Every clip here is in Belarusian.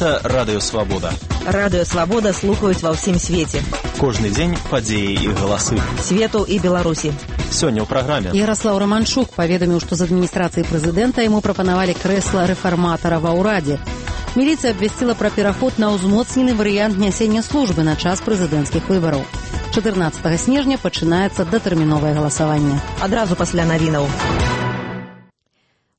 Гэта Радыё Свабода. Радыё Свабода слухаюць ва ўсім свеце. Кожны дзень падзеі і галасы. Свету і Беларусі. Сёння ў праграме. Ярослаў Романчук паведаміў, што з адміністрацыі прэзідэнта яму прапанавалі крэсла рэфарматара ва ўрадзе. Міліцыя абвясціла пра пераход на ўзмоцнены варыянт нясення службы на час прэзідэнцкіх выбараў. 14 снежня пачынаецца датэрміновае галасаванне. Адразу пасля навінаў.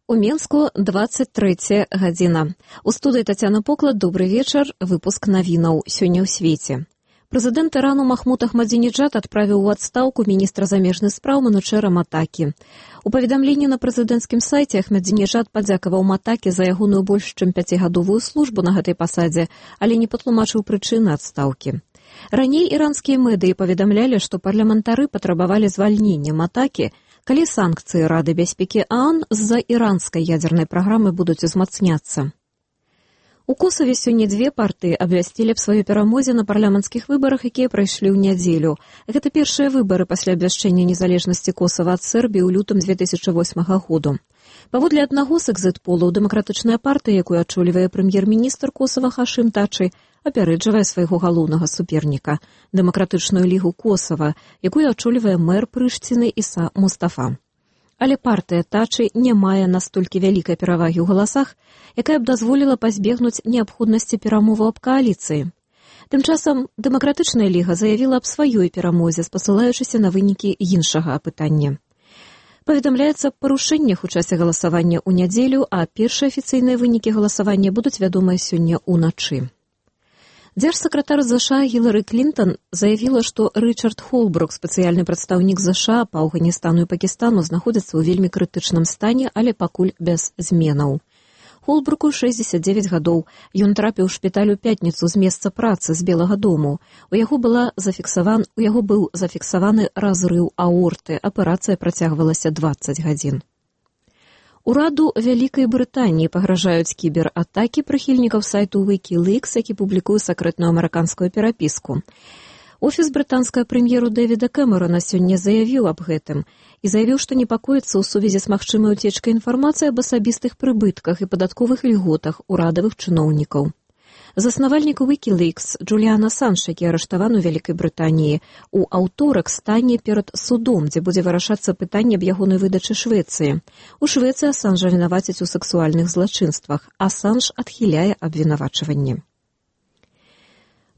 У Менску 23 гадзіна. У студыі Тацяна Поклад, добрый вечар, выпуск навінаў сёння ў свеце. Прэзідэнт Ірану Махмуд Ахмадзінеджад адправіў у адстаўку міністра замежных спраў Манучэра Матакі. У паведамленні на прэзідэнцкім сайце Ахмадзінеджад падзякаваў Матакі за ягоную больш чым 5гадовую службу на гэтай пасадзе, але не патлумачыў прычыны адстаўкі. Раней іранскія медыі паведамлялі, што парламентары патрабавалі звальнення Матакі, калі санкцыі Рады бяспекі ААН з-за іранскай ядзернай праграмы будуць узмацняцца. У Косаве сёння дзве партыі абвясцілі аб сваёй перамозе на парламенцкіх выбарах, якія прайшлі ў нядзелю. Гэта першыя выбары пасля абвяшчэння незалежнасці Косава ад Сербіі ў лютым 2008 году. Паводле аднаго з экзіт-полаў, дэмакратычная партыя, якую ачолівае прэм'ер-міністр Косава Хашым Тачы, апярэджвае свайго галоўнага суперніка – Дэмакратычную лігу Косава, якую ачолівае мэр Прышціны Іса Мустафа. Але партыя Тачы не мае настолькі вялікай перавагі ў галасах, якая б дазволіла пазбегнуць неабходнасці перамоваў аб кааліцыі. Тым часам Дэмакратычная ліга заявіла аб сваёй перамозе, спасылаючыся на вынікі іншага апытання. Паведамляецца аб парушэннях у часе галасавання ў нядзелю, а першыя афіцыйныя вынікі галасавання будуць вядомыя сёння ўначы. Дзяржсакратар ЗША Гілары Клінтон заявіла, што Рычард Холбрук, спецыяльны прадстаўнік ЗША па Афганістану і Пакістану, знаходзіцца ў вельмі крытычным стане, але пакуль без зменаў. Холбруку 69 гадоў. Ён трапіў у шпіталь у пятніцу з месца працы з Белага дому. У яго быў зафіксаваны разрыў аорты. Аперацыя працягвалася 20 гадзін. Ураду Вялікай Брытаніі пагражаюць кібератакі прыхільнікаў сайту Wikileaks, які публікуе сакрэтную амерыканскую перапіску. Офіс брытанскага прэм'еру Дэвіда Кэмерона сёння заявіў аб гэтым і заявіў, што непакоіцца ў сувязі з магчымай уцечкай інфармацыі аб асабістых прыбытках і падатковых ільготах урадавых чыноўнікаў. Заснавальнік Wikileaks Джуліан Асанж, які арыштаваны ў Вялікай Брытаніі, у аўторак стане перад судом, дзе будзе вырашацца пытанне аб ягонай выдачы Швецыі. У Швецыі Асанжа вінавацяць у сексуальных злачынствах. Асанж адхіляе абвінавачванне.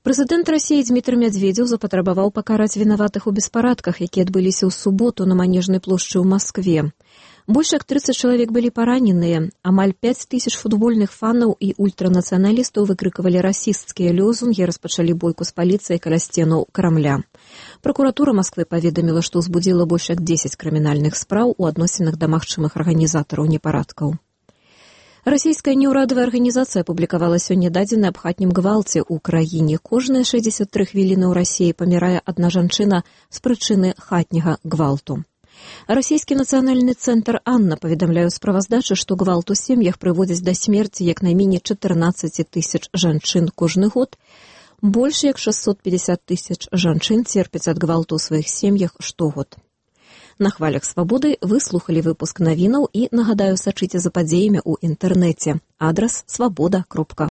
Прэзідэнт Расіі Дзмітрый Мядзведзеў запатрабаваў пакараць вінаватых у беспарадках, якія адбыліся ў суботу на Манежнай плошчы ў Маскве. Больш як 30 чалавек былі параненыя, амаль 5000 футбольных фанаў і ультранацыяналістаў выкрыквалі расісцкія лёзунгі, распачалі бойку з паліцыяй каля сценаў Крамля. Пракуратура Масквы паведаміла, што ўзбудзіла больш як 10 крымінальных спраў у адносінах да магчымых арганізатараў непарадкаў. Расійская неўрадавая арганізацыя апублікавала сёння дадзены аб хатнім гвалце ў краіне. Кожныя 63 хвіліны ў Расіі памірае адна жанчына з прычыны хатняга гвалту. Расійскі нацыянальны цэнтр «Анна» паведамляе ў справаздачы, што гвалт у сем'ях прыводзіць да смерці як найменей 14 000 жанчын кожны год. Больш як 650 000 жанчын церпяць ад гвалту ў сваіх сем'ях штогод. На хвалях свабоды вы слухалі выпуск навінаў і, нагадаю, сачыце за падзеямі ў інтэрнэце. Адрас свабода.орг.